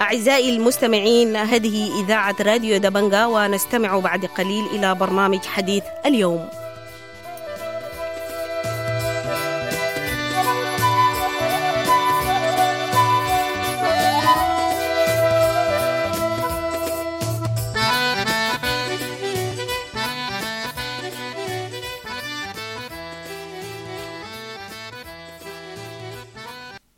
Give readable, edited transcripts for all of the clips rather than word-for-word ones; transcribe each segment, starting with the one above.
أعزائي المستمعين، هذه إذاعة راديو دبنجا، ونستمع بعد قليل إلى برنامج حديث اليوم.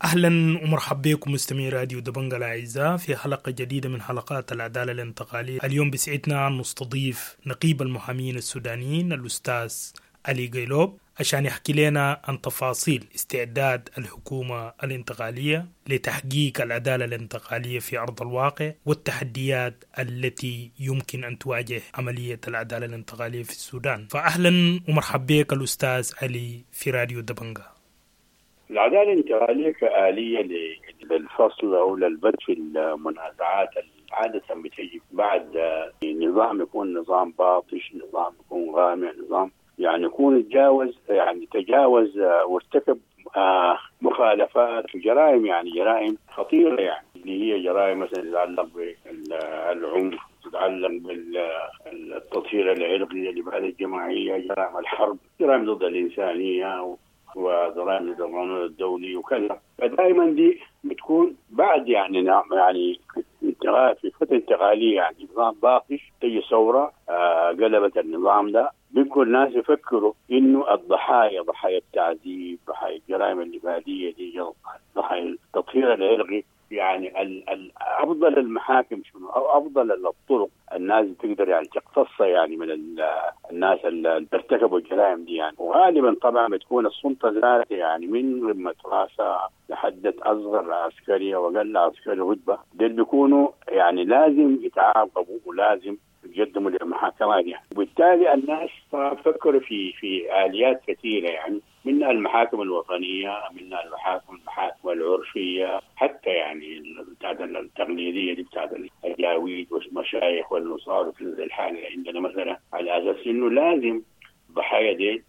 أهلا ومرحبا بكم مستمعي راديو دبنجا الأعزاء في حلقة جديدة من حلقات العدالة الانتقالية. اليوم بسعدنا أن نستضيف نقيب المحامين السودانيين الأستاذ علي قيلوب عشان يحكي لنا عن تفاصيل استعداد الحكومة الانتقالية لتحقيق العدالة الانتقالية في أرض الواقع والتحديات التي يمكن أن تواجه عملية العدالة الانتقالية في السودان. فأهلا ومرحبا بك الأستاذ علي في راديو دبنجا. العدالة الانتقالية كآلية للفصل أو للبت في المنازعات عادة بتجي بعد نظام يكون نظام باطش، نظام يكون غامع، نظام يعني يكون تجاوز يعني تجاوز وارتكب مخالفات وجرائم، يعني جرائم خطيرة، يعني اللي هي جرائم مثلا تتعلق بالعنف، تتعلق بالتطهير العرقي، الإبادة الجماعية، جرائم الحرب، جرائم ضد الإنسانية وجرائم ضد القانون الدولي وكذا. فدائما دي بتكون بعد يعني نعم يعني انتقال في فترة انتقالية، يعني نظام باطش تجي ثورة قلبت النظام ده، بيبقوا الناس يفكروا انه الضحايا، ضحايا التعذيب، ضحايا الجرائم الإبادية دي، ضحايا التطهير العرقي، يعني افضل المحاكم شنو او افضل الطرق الناس تقدر يعني تقتص يعني من الناس اللي ارتكبوا الجرائم دي يعني. وغالبا طبعا بتكون السلطة ذاتها يعني من قمة راسها لحد اصغر عسكرية واقل عسكري رتبه، دول بيكونوا يعني لازم يتعاقبوا ولازم يقدموا للمحاكمات يعني. وبالتالي الناس فكروا في آليات كثيرة، يعني منها المحاكم الوطنية، منها المحاكم العرفية، حتى يعني بتاعت التقليدية دي بتاعت الجاويد والمشايخ والنصارى في الحالة اللي عندنا مثلا، على أساس إنه لازم الضحايا دي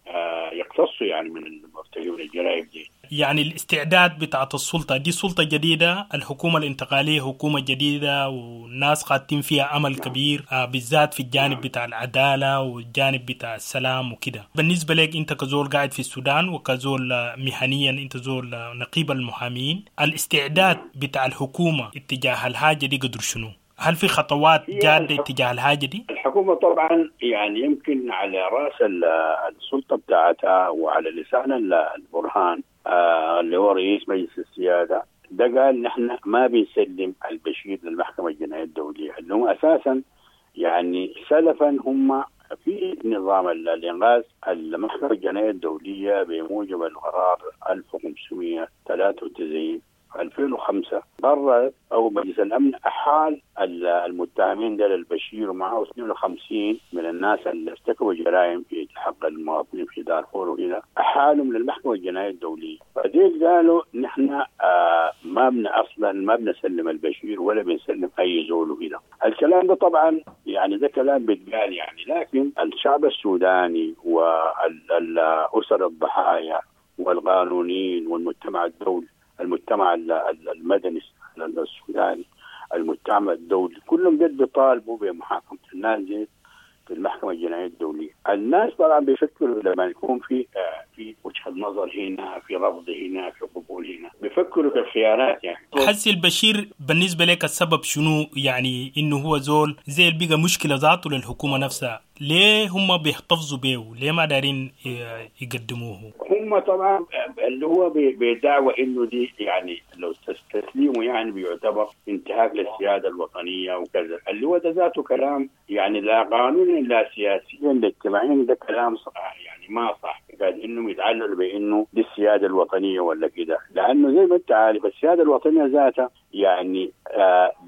يقتصوا يعني من المرتكبين الجرائم دي. يعني الاستعداد بتاعت السلطة دي سلطة جديدة، الحكومة الانتقالية حكومة جديدة والناس قاطين فيها أمل كبير، بالذات في الجانب بتاع العدالة والجانب بتاع السلام وكده. بالنسبة لك أنت كزول قاعد في السودان وكزول مهنيا أنت زول نقيب المحامين، الاستعداد بتاع الحكومة اتجاه الحاجة دي قدر شنو؟ هل في خطوات جادة اتجاه الحاجة دي؟ الحكومة طبعا يعني يمكن على رأس السلطة بتاعتها وعلى لسان البرهان اللي هو رئيس مجلس السيادة ده قال نحن ما بنسلم البشير للمحكمة الجنائية الدولية، اللي هم أساسا يعني سلفا هم في نظام الإنغاز المحكمة الجنائية الدولية بموجب القرار 1593 2005 قررت أو مجلس الأمن أحال المتهمين ديل البشير ومعه 52 من الناس اللي ارتكبوا جرائم في حق المواطنين في دارفور وكذا، أحالهم للمحكمة الجنائية الدولية. فديل قالوا نحن ما بن أصلا ما بنسلم البشير ولا بنسلم أي زول وكذا. الكلام ده طبعا يعني ده كلام بيتقال يعني، لكن الشعب السوداني والأسر الضحايا والقانونيين والمجتمع الدولي، المجتمع المدني السوداني، المجتمع الدولي، كلهم جد بيطالبوا بمحاكمة الناس دي في المحكمة الجنائية الدولية. الناس طبعا بيفكروا لما يكون في وجهة نظر هنا، في رفض هنا، في قبول هنا، بيفكروا في الخيارات يعني. حسي البشير بالنسبة لك السبب شنو يعني إنه هو زول زي اللي بقى مشكلة ذاته للحكومة نفسها، ليه هم بيحتفظوا به؟ ليه ما دارين يقدموه؟ هم طبعا اللي هو بدعوى انه دي يعني لو تسليمه يعني بيعتبر انتهاك للسياده الوطنية وكذا، اللي هو ده ذاته كلام يعني لا قانوني لا سياسيا لا اجتماعيا، ده كلام صح يعني ما صح. قال انهم يتعللوا بانه دي السيادة الوطنية ولا كده، لانه زي ما انت عارف السيادة الوطنية ذاتها يعني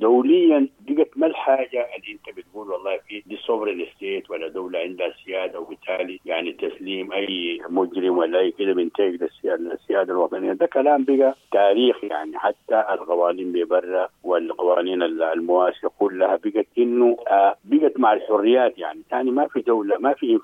دوليا بقت ما الحاجة اللي انت بتقول والله في دي sovereign state ولا دولة عندها سيادة، وبالتالي يعني تسليم اي مجرم ولا اي كده بينتهك للسياده الوطنية. ده كلام بقى تاريخ يعني، حتى القوانين ببرة والقوانين المواسيه كلها بقت انه بقت مع الحريات يعني. ثاني ما في دولة ما في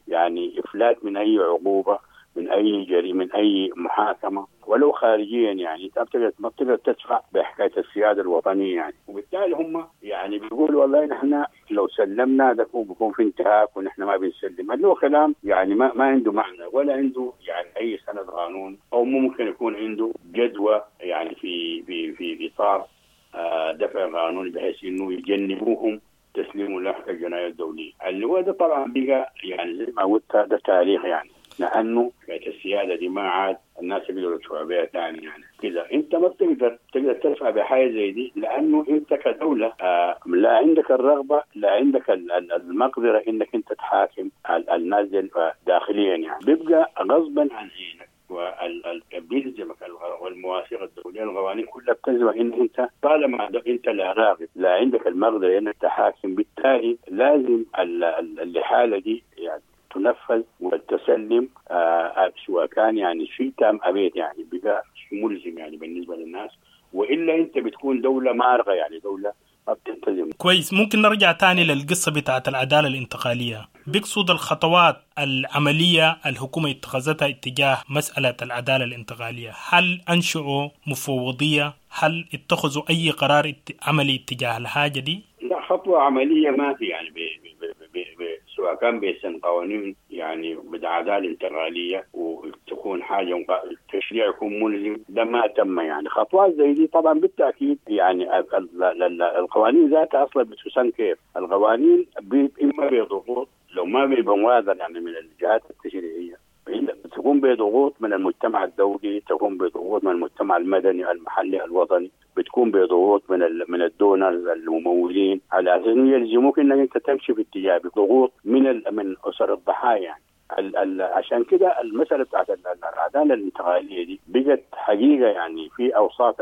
يعني افلات من اي عقوبه من اي جريمة، من اي محاكمة ولو خارجيا. يعني انت ما بتقدر تدفع بحكاية السيادة الوطنية يعني، وبالتالي هم يعني بيقولوا والله نحن لو سلمنا ده بيكون في انتهاك ونحن ما بنسلم، اللي هو كلام يعني ما عنده معنى ولا عنده يعني اي سند قانون، او ممكن يكون عنده جدوى يعني في في في اطار دفع قانوني بحيث انه يجنبوهم تسليم المحكمة الجنائية الدولية. اللي هو ده طبعا بقى يعني زي ما قلت ده تاريخ يعني، لانه حكاية السيادة دي ما عاد الناس يقدروا يدفعوا بها ثاني يعني كذا. انت ما بتقدر تقدر تدفع بحاجة زي دي، لانه انت كدولة لا عندك الرغبة، لا عندك المقدرة انك انت تحاكم الناس داخليا يعني، بيبقى غصبا عن عينك وبيلزمك والمواثيق الدولية القوانين كلها بتلزمك ان انت طالما انت لا راغب لا عندك المقدرة انك تحاكم، بالتالي لازم الحالة دي يعني تنفذ وتسلم سواء كان يعني شئت ام ابيت، يعني بقى ملزم يعني بالنسبة للناس، والا انت بتكون دولة مارقه يعني دولة ما بتلتزم. كويس، ممكن نرجع تاني للقصة بتاعت العدالة الانتقالية. بيقصد الخطوات العملية الحكومة اتخذتها اتجاه مسالة العدالة الانتقالية، هل انشئوا مفوضيه؟ هل اتخذوا اي قرار عملي اتجاه الحاجة دي؟ لا، خطوة عملية ما في يعني بي بي بي سواء كان بيسن قوانين يعني بالعدالة الانتقالية وتكون حاجة التشريع يكون ملزم، ده ما تم يعني. خطوات زي دي طبعا بالتاكيد يعني القوانين ذاتها اصلا بتسن كيف؟ القوانين اما بضغوط لو ما بموازنه يعني من الجهات التشريعية، تكون بضغوط من المجتمع الدولي، تكون بضغوط من المجتمع المدني المحلي الوطني، بتكون بضغوط من ال donors الممولين على اساس انه يلزموك انك انت تمشي في اتجاه، بضغوط من اسر الضحايا يعني. عشان كده المسالة بتاعت العدالة الانتقالية دي بقت حقيقة يعني في اوساط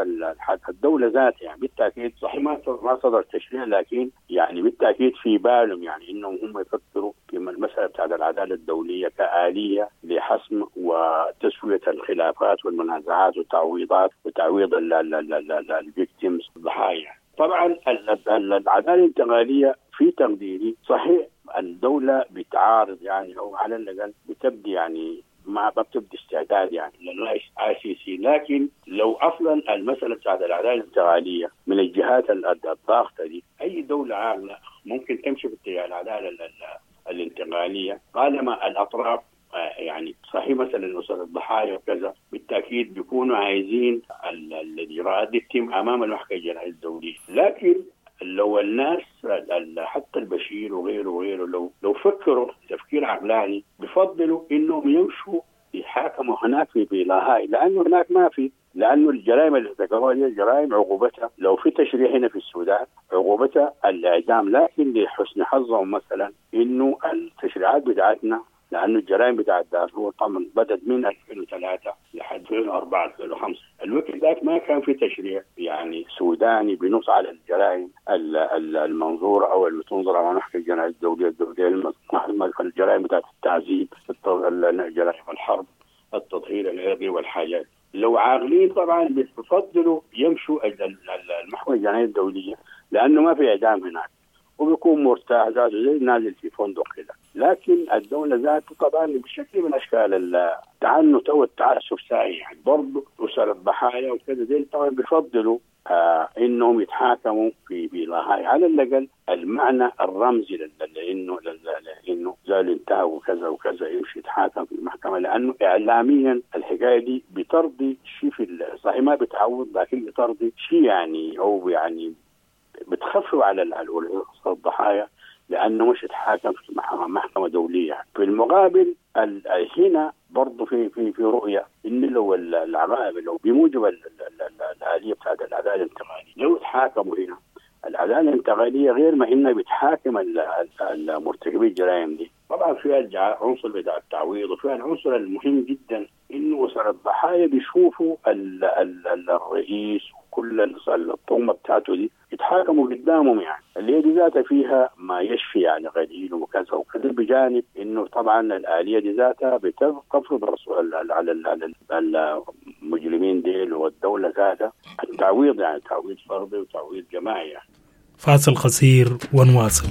الدولة ذاتها يعني. بالتاكيد صحيح ما صدر تشريع، لكن يعني بالتاكيد في بالهم يعني انهم هم يفكروا في المسالة بتاعت العدالة الدولية كآليه لحسم وتسويه الخلافات والمنازعات والتعويضات وتعويض ال victims الضحايا. طبعا العدالة الانتقالية في تقديري صحيح الدولة بتعارض يعني، أو على الأقل بتبدي يعني ما بتبدي استعداد يعني لل ICC، لكن لو أصلا المسألة بتاعت العدالة الانتقالية من الجهات الضاغطة دي، أي دولة عاقلة ممكن تمشي في اتجاه العدالة الانتقالية طالما الأطراف يعني صحيح مثلا أسر الضحايا وكذا بالتأكيد بيكونوا عايزين الإجراءات دي تتم أمام المحكمة الجنائية الدولية، لكن لو الناس حتى البشير وغيره وغيره لو فكروا تفكير عقلاني بفضلوا انهم يمشوا يحاكموا هناك في لاهاي، لانه هناك ما في، لانه الجرائم اللي ارتكبوها دي جرائم عقوبتها لو في تشريع هنا في السودان عقوبتها الاعدام، لكن لحسن حظهم مثلا انه التشريعات بتاعتنا، لانه الجرائم بتاعت دارفور طبعا بدت من 2003 لحد 2004 2005، الوقت ذاك ما كان في تشريع يعني سوداني بنص على الجرائم المنظوره او اللي تنظر على المحكمة الجنائية الدولية، الجرائم بتاعت التعذيب، جرائم الحرب، التطهير العرقي والحاجات. لو عاقلين طبعا بيفضلوا يمشوا المحكمة الجنائية الدولية لانه ما في اعدام هناك، وبيكون مرتاح ذاته زي نازل في فندق كده. لكن الدولة ذاته طبعا بشكل من أشكال التعنت أو التعسف ساعي يعني، برضه أسر الضحايا وكذا دي طبعا بيفضلوا إنهم يتحاكموا في لاهاي، على الأقل المعنى الرمزي لأنه زال انتهى وكذا وكذا يمشي يتحاكم في المحكمة، لأنه إعلاميا الحكاية دي بترضي شيء في صحيح ما بتعوض، لكن بترضي شيء يعني، أو يعني بتخفف على الضحايا لانه مش يتحاكم في محكمة دولية. في المقابل هنا برضه في في في رؤية ان لو العقائب لو بموجب الالية بتاعت العدالة الانتقالية لو تحاكموا هنا، العدالة الانتقالية غير ما انها بتحاكم المرتكبي الجرائم دي، طبعا فيها العنصر بتاع التعويض، وفيها العنصر المهم جدا انه اسر الضحايا بيشوفوا الرئيس وكل الطغمه بتاعته دي يتحاكموا قدامهم يعني، اللي هي دي ذاتها فيها ما يشفي يعني غليل وكذا وكذا، بجانب انه طبعا الالية دي ذاتها بتفرض على المجرمين ديل والدولة ذاتها التعويض يعني، تعويض فردي وتعويض جماعي يعني. فاصل قصير ونواصل.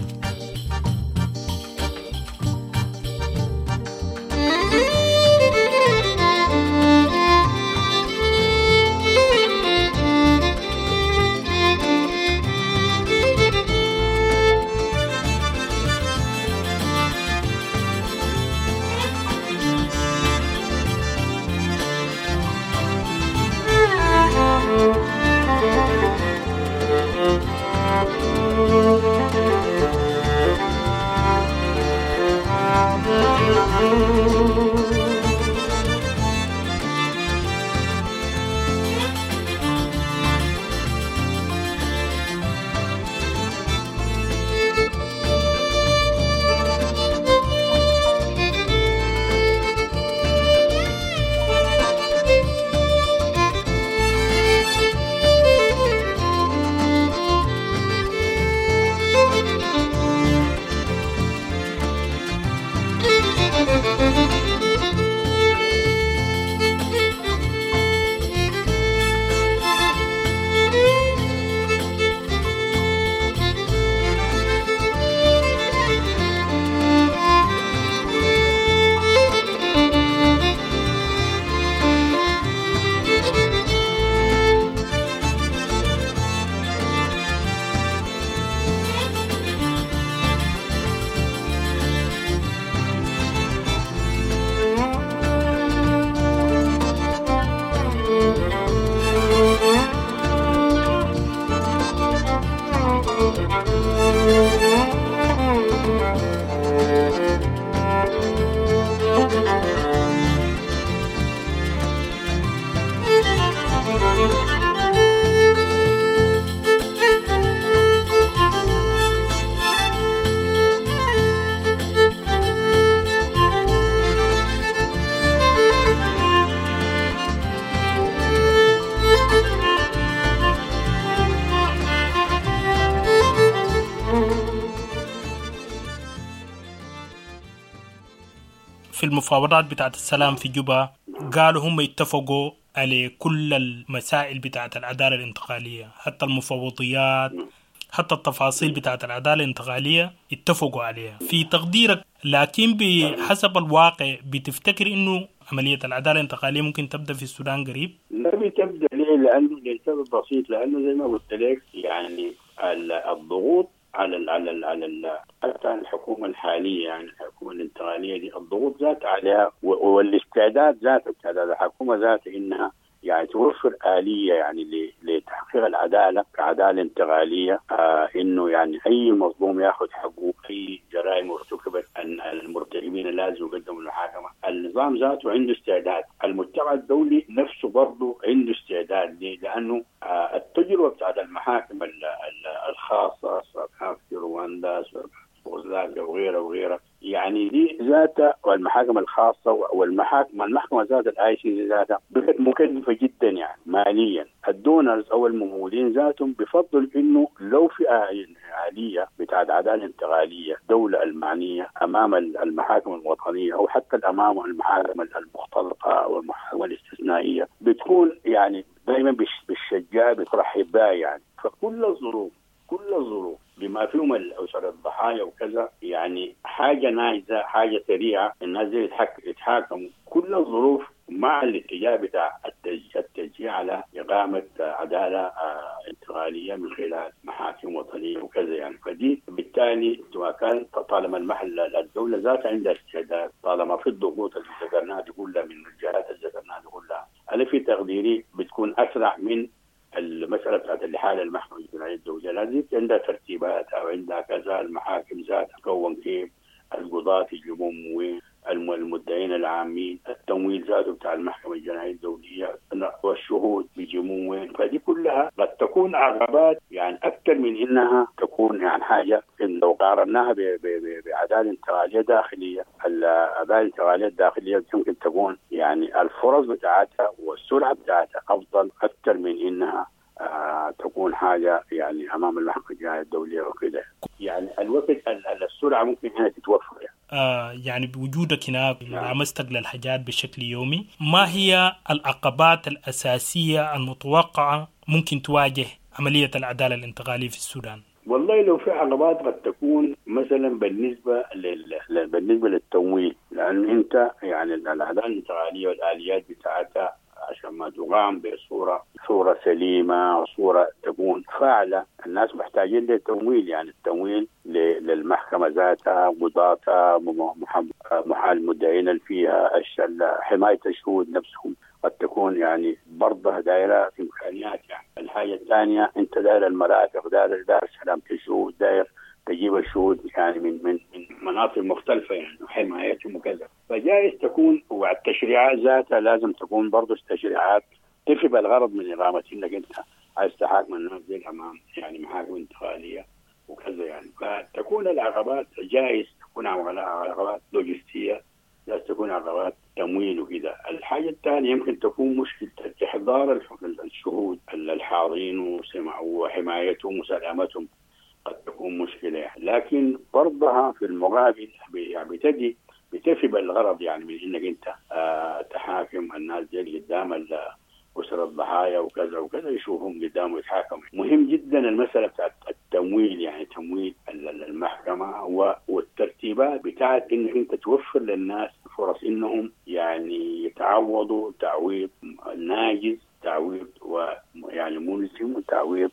في المفاوضات بتاعت السلام في جوبا قالوا هم اتفقوا على كل المسائل بتاعت العدالة الانتقالية، حتى المفوضيات، حتى التفاصيل بتاعت العدالة الانتقالية اتفقوا عليها. في تقديرك لكن بحسب الواقع بتفتكر انه عملية العدالة الانتقالية ممكن تبدأ في السودان قريب؟ لا بتبدأ. ليه؟ لأنه لسبب بسيط، لأنه زي ما قلت لك يعني الضغوط على ال على ال على ال حتى الحكومة الحالية، يعني الحكومة الانتقالية دي الضغوط ذات عليها والاستعداد ذاته، استعداد الحكومة ذاته إنها يعني توفر آلية يعني لتحقيق العدالة كعدالة انتقالية، إنه يعني أي مظلوم ياخذ حقه، أي جرائم ارتكبت أن المرتكبين لازم يقدموا المحاكمة. النظام ذاته عنده استعداد، المجتمع الدولي نفسه برضه عنده استعداد. ليه؟ لأنه التجربة بتاعت المحاكم الخاصة سواء في رواندا سواء في وغيرها وغيرها، يعني دي ذاتها والمحاكم الخاصة والمحاكم المحكمة ذات ال ICC ذاتها بقت مكلفة جدا يعني ماليا. ال donors او الممولين ذاتهم بفضل انه لو في آلية بتاعت عدالة انتقالية دولة المعنية امام المحاكم الوطنية او حتى امام المحاكم المختلطة او المحاكم الاستثنائية بتكون يعني دائما بالشجاع بترحب بها يعني. فكل الظروف كل الظروف بما فيهم الأسر الضحايا وكذا، يعني حاجة ناجزة، حاجة سريعة، الناس دي يتحاكموا. كل الظروف مع الاتجاه بتاع التشجيع على إقامة عدالة انتقالية من خلال محاكم وطنية وكذا يعني. فدي بالتالي سواء كان طالما المحل الدولة ذاتها عندها استعداد، طالما في الضغوط اللي ذكرناها دي كلها من الجهات اللي ذكرناها دي كلها، أنا في تقديري بتكون أسرع من المسألة بتاعت الإحالة المحكمة الجنائية الدولية. لازم عندها ترتيبات أو عندها كذا، المحاكم ذاتها تكون كيف، القضاة يجيبون وين، المدعين العامين، التمويل ذاته بتاع المحكمة الجنائية الدولية، والشهود بيجيبون وين. فدي كلها قد تكون عقبات يعني أكثر من إنها تكون يعني حاجة إن لو قارناها بعدالة انتقالية داخلية، العدالة الانتقالية الداخلية يمكن تكون يعني الفرص بتاعتها والسرعة بتاعتها أفضل أكثر من إنها تكون حاجة يعني أمام المحكمة الجنائية الدولية وكده. يعني الوقت السرعة ممكن هنا تتوفر يعني. يعني بوجودك هناك ملامستك للحاجات بشكل يومي، ما هي العقبات الأساسية المتوقعة ممكن تواجه عملية العدالة الانتقالية في السودان؟ والله لو في عقبات قد تكون مثلا بالنسبة للتمويل، لأن أنت يعني العدالة الانتقالية والآليات بتاعتها عشان ما تقام بصورة سليمة وصورة تكون فاعلة، الناس محتاجين للتمويل، يعني التمويل للمحكمة ذاتها، قضاتها، المدعين اللي فيها، حماية الشهود نفسهم قد تكون يعني برضه دائرة إمكانيات يعني. الحاجة الثانية أنت داير المرافق، داير سلامة الشهود، داير تجيب الشهود يعني من مناطق مختلفة يعني وحمايتهم وكذا. فجائز تكون، والتشريعات ذاتها لازم تكون برضه التشريعات تفي بالغرض من إقامة إنك أنت عايز تحاكم الناس دي أمام يعني محاكم انتقالية وكذا يعني. فتكون العقبات جائز تكون عقبات لوجستية، جائز تكون عقبات تمويل وكذا. الحاجة الثانية يمكن تكون مشكلة إحضار الشهود الحاضرين وحمايتهم وسلامتهم قد تكون مشكلة يعني. لكن برضها في المقابل يعني بتجي بتفي بالغرض يعني من انك انت تحاكم الناس دي قدام أسر الضحايا وكذا وكذا، يشوفهم قدام ويتحاكموا. مهم جدا المسألة بتاعت التمويل، يعني تمويل المحكمة والترتيبات بتاعت انك انت توفر للناس فرص انهم يعني يتعوضوا تعويض ناجز، تعويض ويعني ملزم، وتعويض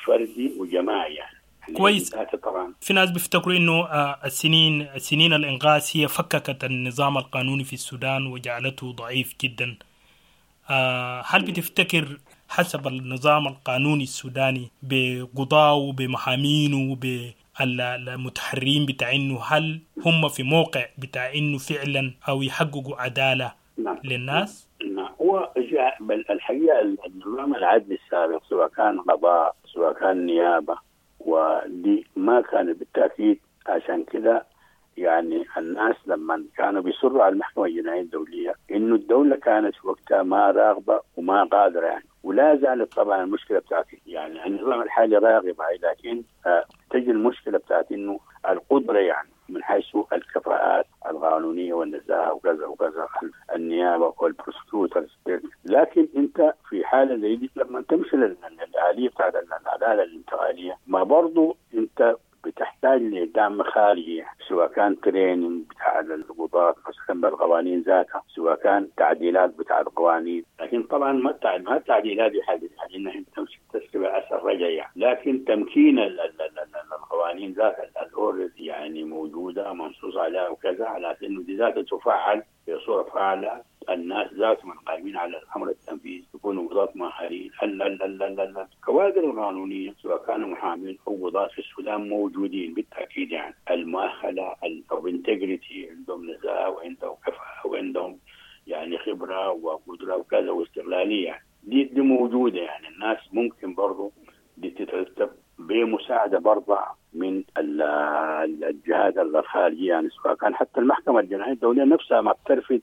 فردي وجماعي يعني. كويس. طبعا في ناس بيفتكروا انه السنين الانغاز هي فككت النظام القانوني في السودان وجعلته ضعيف جدا. هل بتفتكر حسب النظام القانوني السوداني بقضاه بمحامينه بالمتحرين بتاع انه هل هم في موقع بتاع انه فعلا او يحققوا عدالة نعم. للناس؟ نعم، هو الحقيقة النظام العدلي السابق سواء كان قضاء سواء كان نيابة ودي ما كانت بالتأكيد. عشان كده يعني الناس لما كانوا بيصروا على المحكمة الجنائية الدولية إنه الدولة كانت في وقتها ما راغبة وما قادرة يعني، ولا زالت طبعا المشكلة بتاعت يعني النظام الحالي راغب، لكن تجي المشكلة بتاعت إنه القدرة يعني من حيث الكفاءات القانونية الاستقلالية والنزاهة وكذا وكذا، النيابة وال prosecutors. لكن انت في حاله زي دي لما تمشي للآلية بتاعت العدالة الانتقالية، ما برضو انت بتحتاج لدعم خارجي، سواء كان training بتاع القضاة مثلا بالقوانين ذاتها، سواء كان تعديلات بتاع القوانين. لكن طبعا ما التعديلات دي حاجة انها انت تمشي تسري باثر رجعي يعني. لكن تمكين القوانين ذاتها ال already يعني موجودة منصوص عليها وكذا، على انه دي ذاتها تفعل بصورة فعاله. الناس ذاتهم القائمين على الامر التنفيذي يكونوا قضاة مؤهلين. الكوادر القانونية سواء كانوا محامين او قضاة في السودان موجودين بالتاكيد، يعني المؤهله او integrity، عندهم نزاهة وعندهم كفاءة وعندهم يعني خبره وقدره وكذا واستقلاليه، دي موجودة. يعني الناس ممكن برضه دي تترتب بمساعدة برضه من الجهات الخارجية، يعني سواء كان حتى المحكمة الجنائية الدولية نفسها ما بترفض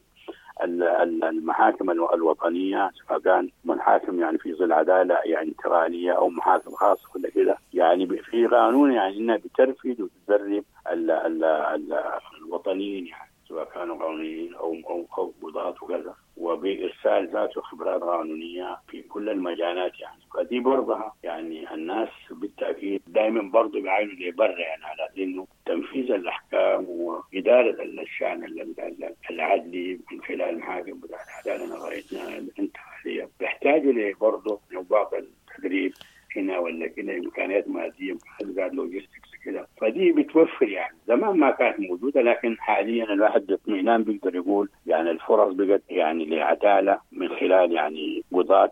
المحاكم الوطنية، سواء كان محاكم يعني في ظل عدالة يعني انتقالية او محاكم خاصة ولا كده، يعني في قانون يعني انها بترفض وتدرب الوطنيين، يعني سواء كانوا قانونيين او او او قضاة وكذا، وبارسال ذاته خبرات قانونية في كل المجالات يعني. فدي برضها يعني الناس بالتاكيد دائما برضه بيعاينوا لبرا، يعني على انه تنفيذ الاحكام واداره الشان العدلي من خلال المحاكم بتاع العدالة الانتقالية بيحتاجوا برضه بعض التدريب هنا ولا كده، امكانيات مادية، امكانيات logistics كده، فدي بتوفر يعني. زمان ما كانت موجودة، لكن حاليا الواحد باطمئنان بيقدر يقول يعني الفرص بقت يعني لعداله من خلال يعني قضاة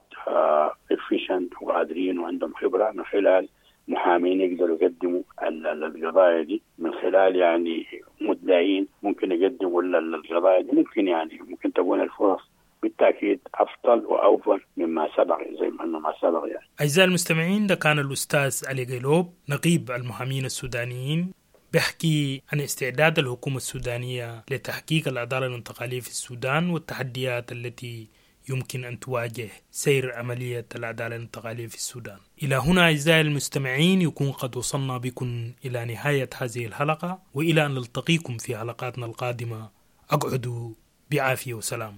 efficient وقادرين وعندهم خبره، من خلال محامين يقدروا يقدموا القضايا دي، من خلال يعني مدعين ممكن يقدموا القضايا دي، ممكن يعني ممكن تكون الفرص بالتاكيد افضل واوفر مما سبق، زي ما سبق يعني. اعزائي المستمعين، ده كان الاستاذ علي قيلوب نقيب المحامين السودانيين بيحكي عن استعداد الحكومة السودانية لتحقيق العدالة الانتقالية في السودان والتحديات التي يمكن أن تواجه سير عملية العدالة الانتقالية في السودان. إلى هنا أعزائي المستمعين يكون قد وصلنا بكم إلى نهاية هذه الحلقة، وإلى أن نلتقيكم في حلقاتنا القادمة أقعدوا بعافية وسلام.